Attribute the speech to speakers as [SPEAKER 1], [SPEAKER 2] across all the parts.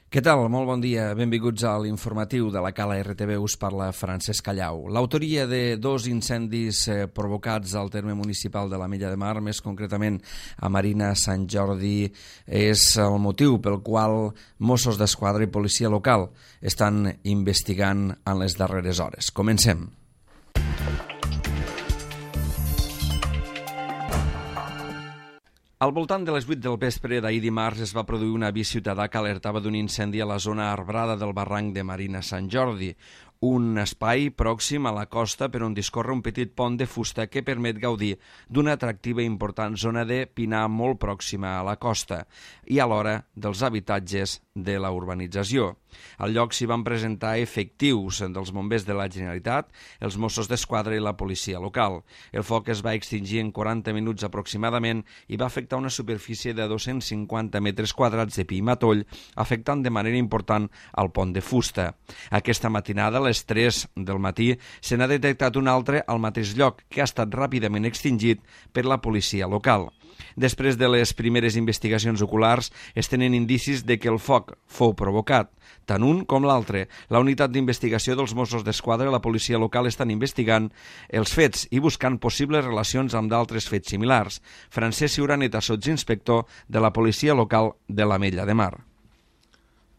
[SPEAKER 1] Què tal? Molt bon dia. Benvinguts a l'informatiu de la Cala RTV. Us parla Francesc Callau. L'autoria de dos incendis provocats al terme municipal de l'Ametlla de Mar, més concretament a Marina Sant Jordi, és el motiu pel qual Mossos d'Esquadra i policia local estan investigant en les darreres hores. Comencem. Al voltant de les 8 del vespre d'ahir dimarts es va produir un avís ciutadà que alertava d'un incendi a la zona arbrada del barranc de Marina Sant Jordi, un espai pròxim a la costa per on discorre un petit pont de fusta que permet gaudir d'una atractiva i important zona de pinar molt pròxima a la costa i alhora dels habitatges de la urbanització. Al lloc s'hi van presentar efectius dels bombers de la Generalitat, els Mossos d'Esquadra i la policia local. El foc es va extingir en 40 minuts aproximadament i va afectar una superfície de 250 metres quadrats de pi i matoll, afectant de manera important el pont de fusta. Aquesta matinada, a les 3 del matí, se n'ha detectat un altre al mateix lloc, que ha estat ràpidament extingit per la policia local. Després de les primeres investigacions oculars, es tenen indicis de que el foc fou provocat. Tant un com l'altre. La unitat d'investigació dels Mossos d'Esquadra i la policia local estan investigant els fets i buscant possibles relacions amb d'altres fets similars. Francesc Ciuraneta, sotsinspector de la policia local de l'Ametlla de Mar.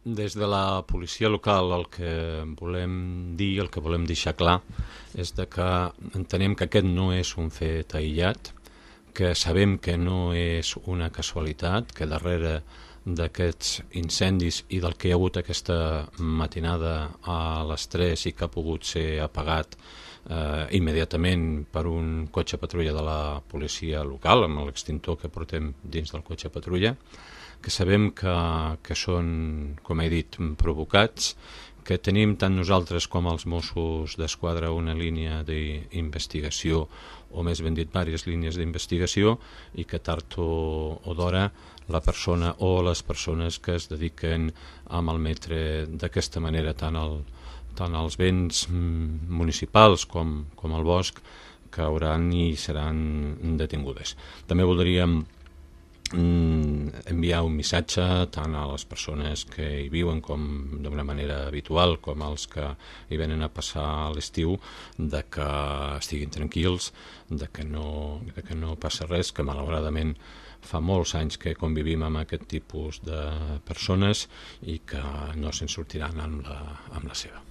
[SPEAKER 2] Des de la policia local el que volem dir, el que volem deixar clar, és que entenem que aquest no és un fet aïllat, que sabem que no és una casualitat, que darrere d'aquests incendis i del que hi ha hagut aquesta matinada a les 3 i que ha pogut ser apagat immediatament per un cotxe patrulla de la policia local, amb l'extintor que portem dins del cotxe patrulla, que sabem que són, com he dit, provocats, que tenim tant nosaltres com els Mossos d'Esquadra una línia d'investigació, o més ben dit, diverses línies d'investigació, i que tard o d'hora la persona o les persones que es dediquen a malmetre d'aquesta manera tant els béns municipals com el bosc cauran i seran detingudes. També voldríem enviar un missatge tant a les persones que hi viuen com d'una manera habitual com als que hi venen a passar l'estiu, de que estiguin tranquils, de que no passa res, que malauradament fa molts anys que convivim amb aquest tipus de persones i que no se'n sortiran amb la seva.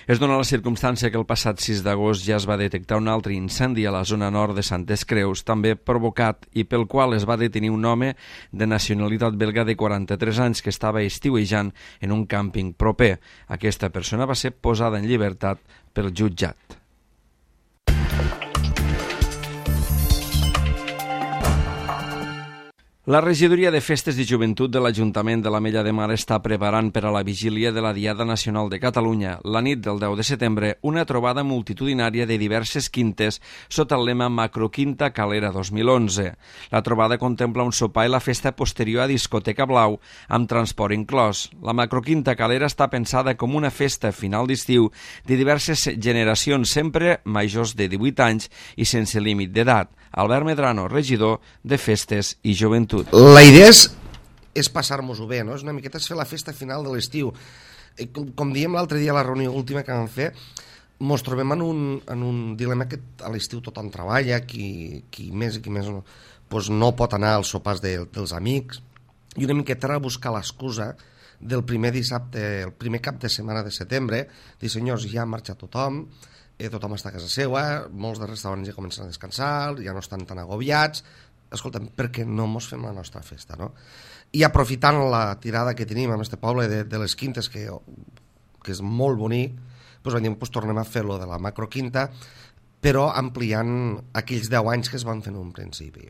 [SPEAKER 1] Es dona la circumstància que el passat 6 d'agost ja es va detectar un altre incendi a la zona nord de Santes Creus, també provocat i pel qual es va detenir un home de nacionalitat belga de 43 anys que estava estiuejant en un càmping proper. Aquesta persona va ser posada en llibertat pel jutjat. La regidoria de Festes i Joventut de l'Ajuntament de l'Ametlla de Mar està preparant per a la vigília de la Diada Nacional de Catalunya, la nit del 10 de setembre, una trobada multitudinària de diverses quintes sota el lema Macroquinta Calera 2011. La trobada contempla un sopar i la festa posterior a Discoteca Blau, amb transport inclòs. La Macroquinta Calera està pensada com una festa final d'estiu de diverses generacions, sempre majors de 18 anys i sense límit d'edat. Albert Medrano, regidor de Festes i Joventut.
[SPEAKER 3] La idea és passar-nos-ho bé, no? És una miqueta fer la festa final de l'estiu. Com dèiem l'altre dia a la reunió última que vam fer, ens trobem en un dilema que a l'estiu tothom treballa, qui més i qui més no pot anar als sopars dels amics, i una miqueta era buscar l'excusa del primer dissabte, el primer cap de setmana de setembre, dir, senyors, ja ha marxat tothom està a casa seva, molts dels restaurants ja comencen a descansar, ja no estan tan agobiats, escolta'm, per què no mos fem la nostra festa, no? I aprofitant la tirada que tenim en este poble de les quintes, que és molt bonic, doncs vam dir, tornem a fer-lo de la macroquinta, però ampliant aquells 10 anys que es van fer en un principi.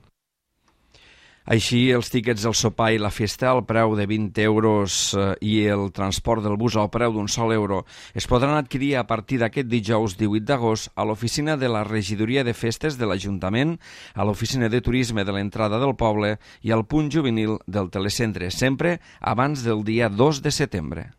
[SPEAKER 1] Així, els tíquets del sopar i la festa al preu de 20 euros i el transport del bus al preu d'un sol euro es podran adquirir a partir d'aquest dijous 18 d'agost a l'oficina de la Regidoria de Festes de l'Ajuntament, a l'oficina de Turisme de l'entrada del poble i al punt juvenil del telecentre, sempre abans del dia 2 de setembre.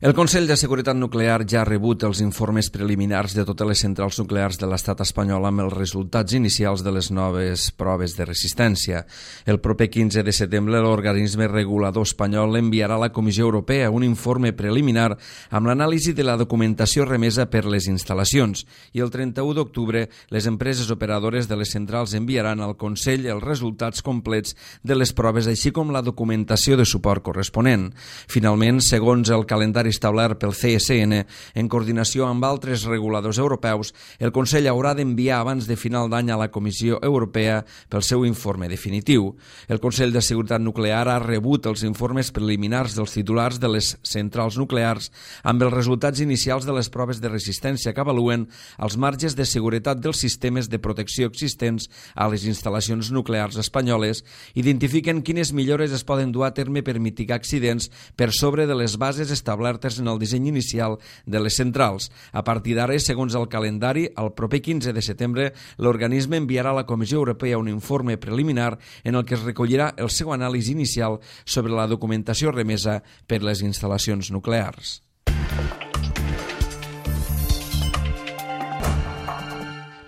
[SPEAKER 1] El Consell de Seguretat Nuclear ja ha rebut els informes preliminars de totes les centrals nuclears de l'estat espanyol amb els resultats inicials de les noves proves de resistència. El proper 15 de setembre l'organisme regulador espanyol enviarà a la Comissió Europea un informe preliminar amb l'anàlisi de la documentació remesa per les instal·lacions i el 31 d'octubre les empreses operadores de les centrals enviaran al Consell els resultats complets de les proves així com la documentació de suport corresponent. Finalment, segons el calendari establert pel CSN, en coordinació amb altres reguladors europeus, el Consell haurà d'enviar abans de final d'any a la Comissió Europea pel seu informe definitiu. El Consell de Seguretat Nuclear ha rebut els informes preliminars dels titulars de les centrals nuclears amb els resultats inicials de les proves de resistència que avaluen els marges de seguretat dels sistemes de protecció existents a les instal·lacions nuclears espanyoles, identifiquen quines millores es poden dur a terme per mitigar accidents per sobre de les bases establertes en el disseny inicial de les centrals. A partir d'ara, segons el calendari, el proper 15 de setembre, l'organisme enviarà a la Comissió Europea un informe preliminar en el que es recollirà el seu anàlisi inicial sobre la documentació remesa per les instal·lacions nuclears.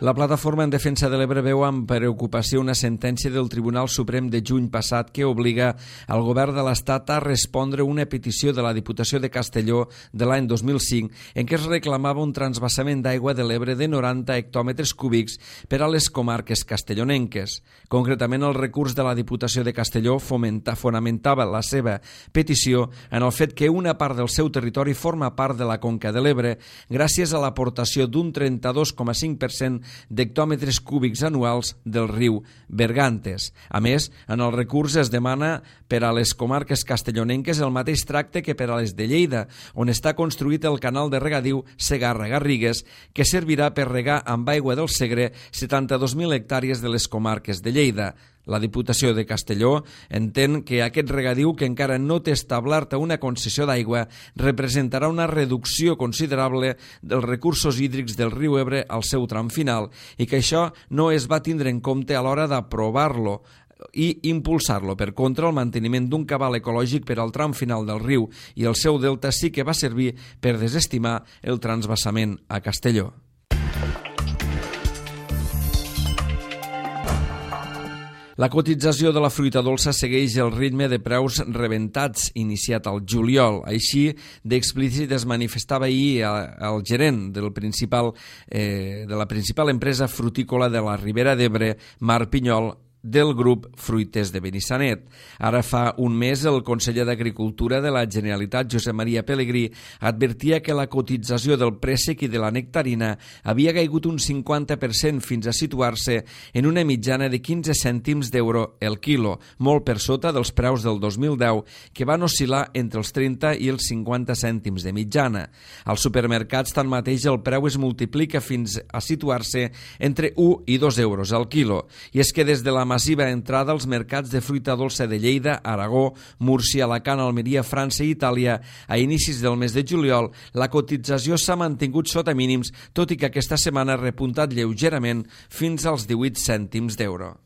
[SPEAKER 1] La Plataforma en Defensa de l'Ebre veu amb preocupació una sentència del Tribunal Suprem de juny passat que obliga al govern de l'Estat a respondre una petició de la Diputació de Castelló de l'any 2005 en què es reclamava un transvasament d'aigua de l'Ebre de 90 hectòmetres cúbics per a les comarques castellonenques. Concretament, el recurs de la Diputació de Castelló fonamentava la seva petició en el fet que una part del seu territori forma part de la Conca de l'Ebre gràcies a l'aportació d'un 32,5% d'hectòmetres cúbics anuals del riu Bergantes. A més, en el recurs es demana per a les comarques castellonenques el mateix tracte que per a les de Lleida, on està construït el canal de regadiu Segarra-Garrigues, que servirà per regar amb aigua del Segre 72.000 hectàrees de les comarques de Lleida. La Diputació de Castelló entén que aquest regadiu, que encara no té establerta una concessió d'aigua, representarà una reducció considerable dels recursos hídrics del riu Ebre al seu tram final i que això no es va tindre en compte a l'hora d'aprovar-lo i impulsar-lo. Per contra, el manteniment d'un cabal ecològic per al tram final del riu i el seu delta sí que va servir per desestimar el transvasament a Castelló. La cotització de la fruita dolça segueix el ritme de preus rebentats iniciat al juliol. Així d'explícit es manifestava ahir el gerent de la principal empresa frutícola de la Ribera d'Ebre, Marc Pinyol, del grup Fruiters de Benissanet. Ara fa un mes el conseller d'Agricultura de la Generalitat, Josep Maria Pelegrí, advertia que la cotització del préssec i de la nectarina havia caigut un 50% fins a situar-se en una mitjana de 15 cèntims d'euro el quilo, molt per sota dels preus del 2010, que van oscil·lar entre els 30 i els 50 cèntims de mitjana. Als supermercats, tanmateix, el preu es multiplica fins a situar-se entre 1 i 2 euros al quilo. I és que des de la massiva entrada als mercats de fruita dolça de Lleida, Aragó, Múrcia, Alacant, Almeria, França i Itàlia a inicis del mes de juliol, la cotització s'ha mantingut sota mínims, tot i que aquesta setmana ha repuntat lleugerament fins als 18 cèntims d'euro.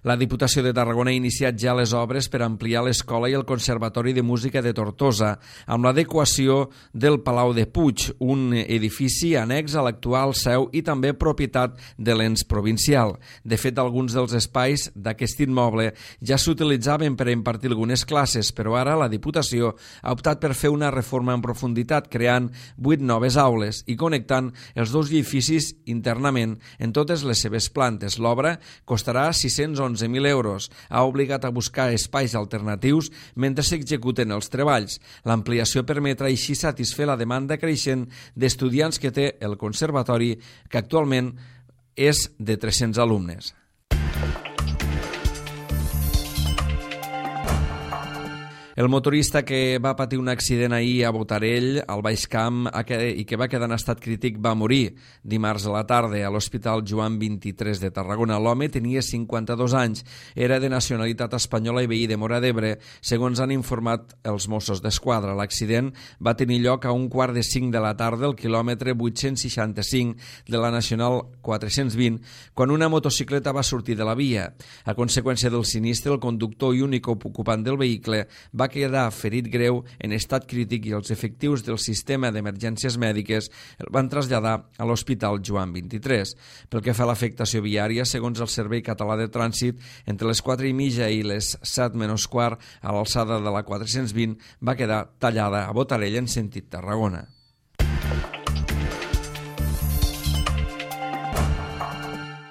[SPEAKER 1] La Diputació de Tarragona ha iniciat ja les obres per ampliar l'escola i el Conservatori de Música de Tortosa, amb l'adequació del Palau de Puig, un edifici annex a l'actual seu i també propietat de l'ens provincial. De fet, alguns dels espais d'aquest immoble ja s'utilitzaven per impartir algunes classes, però ara la Diputació ha optat per fer una reforma en profunditat, creant 8 noves aules i connectant els dos edificis internament en totes les seves plantes. L'obra costarà 611.000 euros. Ha obligat a buscar espais alternatius mentre s'executen els treballs. L'ampliació permetrà així satisfer la demanda creixent d'estudiants que té el conservatori, que actualment és de 300 alumnes. El motorista que va patir un accident ahir a Botarell, al Baix Camp, i que va quedar en estat crític, va morir dimarts a la tarda a l'Hospital Joan 23 de Tarragona. L'home tenia 52 anys, era de nacionalitat espanyola i veí de Móra d'Ebre, segons han informat els Mossos d'Esquadra. L'accident va tenir lloc a 4:45 de la tarda al quilòmetre 865 de la Nacional 420, quan una motocicleta va sortir de la via. A conseqüència del sinistre, el conductor i únic ocupant del vehicle va quedar ferit greu en estat crític i els efectius del sistema d'emergències mèdiques el van traslladar a l'Hospital Joan 23. Pel que fa a l'afectació viària, segons el Servei Català de Trànsit, entre les 4:30 i les 7:15 a l'alçada de la 420 va quedar tallada a Botarell en sentit Tarragona.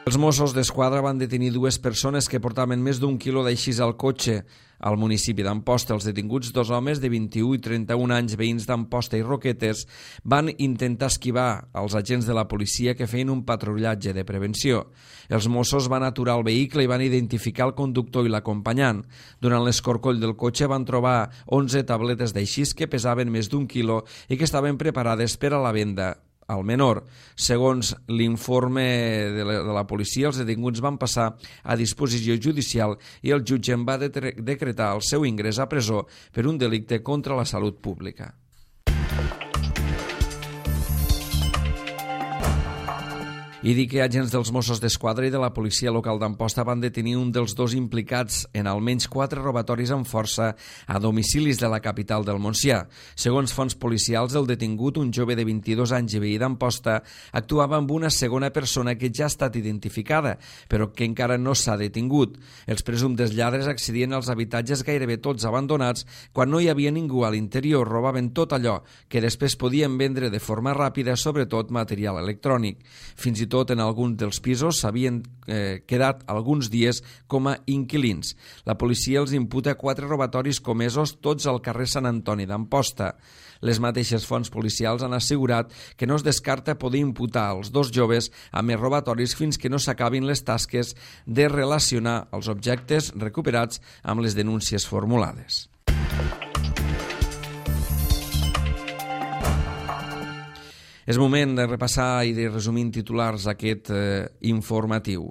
[SPEAKER 1] Els Mossos d'Esquadra van detenir 2 persones que portaven més d'1 quilo d'aixís al cotxe al municipi d'Amposta. Els detinguts, 2 homes de 21 i 31 anys, veïns d'Amposta i Roquetes, van intentar esquivar els agents de la policia que feien un patrullatge de prevenció. Els Mossos van aturar el vehicle i van identificar el conductor i l'acompanyant. Durant l'escorcoll del cotxe van trobar 11 tabletes d'aixís que pesaven més d'1 quilo i que estaven preparades per a la venda al menor. Segons l'informe de la policia, els detinguts van passar a disposició judicial i el jutge en va decretar el seu ingrés a presó per un delicte contra la salut pública. I dir que agents dels Mossos d'Esquadra i de la policia local d'Amposta van detenir un dels 2 implicats en almenys 4 robatoris amb força a domicilis de la capital del Montsià. Segons fonts policials, el detingut, un jove de 22 anys i veí d'Amposta, actuava amb una segona persona que ja ha estat identificada, però que encara no s'ha detingut. Els presumptes lladres accedien als habitatges gairebé tots abandonats quan no hi havia ningú a l'interior, robaven tot allò que després podien vendre de forma ràpida, sobretot material electrònic. Fins i tot en alguns dels pisos s'havien quedat alguns dies com a inquilins. La policia els imputa 4 robatoris comesos, tots al carrer Sant Antoni d'Amposta. Les mateixes fonts policials han assegurat que no es descarta poder imputar als 2 joves a més robatoris fins que no s'acabin les tasques de relacionar els objectes recuperats amb les denúncies formulades. És moment de repassar i de resumir en titulars aquest informatiu.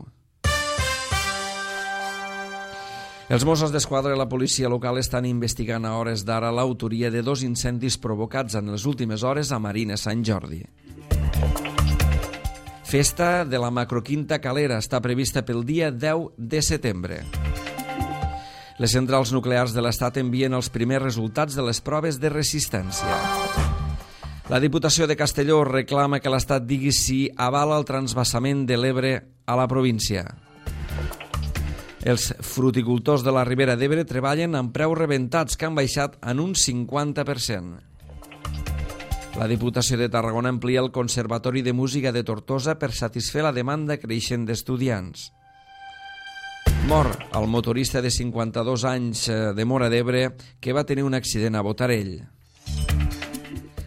[SPEAKER 1] Els Mossos d'Esquadra i la policia local estan investigant a hores d'ara l'autoria de 2 incendis provocats en les últimes hores a Marina Sant Jordi. Festa de la Macroquinta Calera està prevista pel dia 10 de setembre. Les centrals nuclears de l'Estat envien els primers resultats de les proves de resistència. La Diputació de Castelló reclama que l'Estat digui si avala el transvasament de l'Ebre a la província. Els fruticultors de la Ribera d'Ebre treballen amb preus rebentats que han baixat en un 50%. La Diputació de Tarragona amplia el Conservatori de Música de Tortosa per satisfer la demanda creixent d'estudiants. Mor el motorista de 52 anys de Móra d'Ebre que va tenir un accident a Botarell.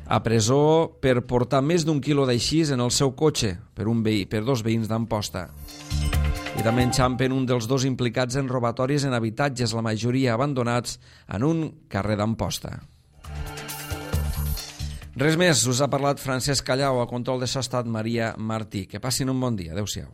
[SPEAKER 1] A presó per portar més d'1 quilo d'aixís en el seu cotxe per 2 veïns d'Amposta. I també enxampen un dels 2 implicats en robatoris en habitatges, la majoria abandonats, en un carrer d'Amposta. Res més, us ha parlat Francesc Callau, a control de so ha estat Maria Martí. Que passin un bon dia. Adéu-siau.